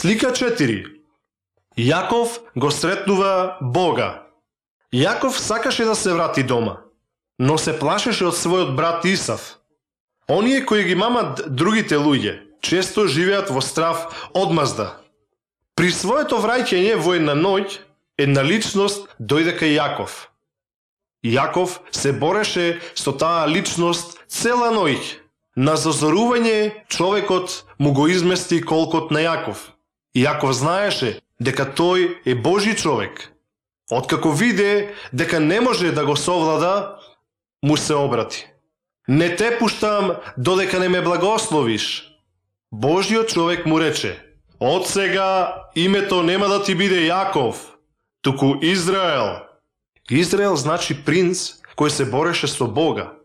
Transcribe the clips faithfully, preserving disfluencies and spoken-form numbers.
Слика четири. Јаков го сретнува Бога. Јаков сакаше да се врати дома, но се плашеше од својот брат Исав. Оние кои ги мамат другите луѓе, често живеат во страв одмазда. При своето враќање во една ноќ, една личност дојде кај Јаков. Јаков се бореше со таа личност цела ноќ. На зазорување човекот му го измести колкот на Јаков. Јаков знаеше дека тој е Божи човек. Откако виде дека не може да го совлада, му се обрати. Не те пуштам додека не ме благословиш. Божиот човек му рече: од сега името нема да ти биде Јаков, туку Израел. Израел значи принц кој се бореше со Бога.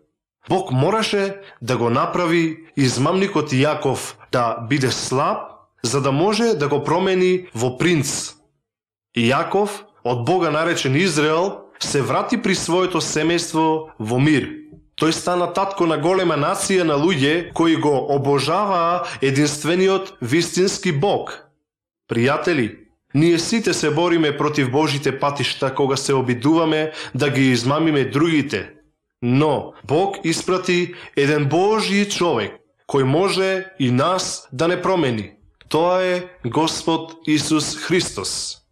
Бог мораше да го направи измамникот Јаков да биде слаб, за да може да го промени во принц. Јаков, од Бога наречен Израел, се врати при своето семејство во мир. Тој стана татко на голема нација на луѓе кои го обожаваа единствениот вистински Бог. Пријатели, ние сите се бориме против Божите патишта кога се обидуваме да ги измамиме другите. Но Бог испрати еден Божји човек кој може и нас да не промени. Тоа е Господ Исус Христос.